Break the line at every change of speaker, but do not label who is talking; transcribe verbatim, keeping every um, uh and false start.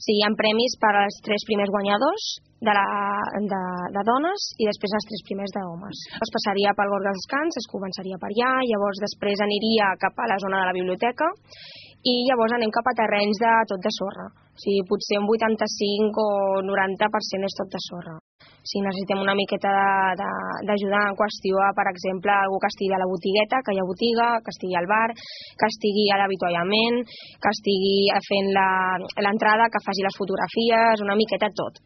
Sí, hi ha premis per als tres primers guanyadors de, la, de, de dones i després els tres primers d'homes. Es passaria pel Gorg dels Descans, es començaria per allà, llavors després aniria cap a la zona de la biblioteca i llavors anem cap a terrenys de tot de sorra. O sigui, potser un vuitanta-cinc o noranta per cent és tot de sorra. O sigui, necessitem una miqueta d'ajudar en qüestió a, per exemple, algú que estigui a la botigueta, que hi ha botiga, que estigui al bar, que estigui a l'avituallament, que estigui fent l'entrada, que faci les fotografies, una miqueta tot.